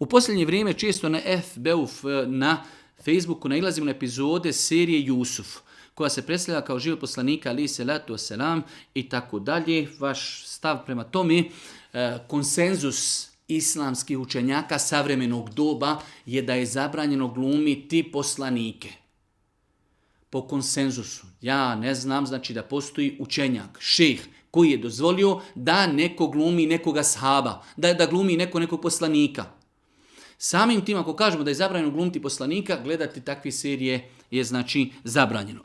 U posljednje vrijeme često na na Facebooku nailazimo na epizode serije Jusuf, koja se predstavlja kao život poslanika alejhi selatu vesselam i tako dalje. Vaš stav prema tome, konsenzus islamskih učenjaka savremenog doba je da je zabranjeno glumiti poslanike. Po konsenzusu. Ja ne znam, znači da postoji učenjak, šejh, koji je dozvolio da neko glumi nekoga sahaba, da glumi nekog poslanika. Samim tim, ako kažemo da je zabranjeno glumiti poslanika, gledati takve serije je znači zabranjeno.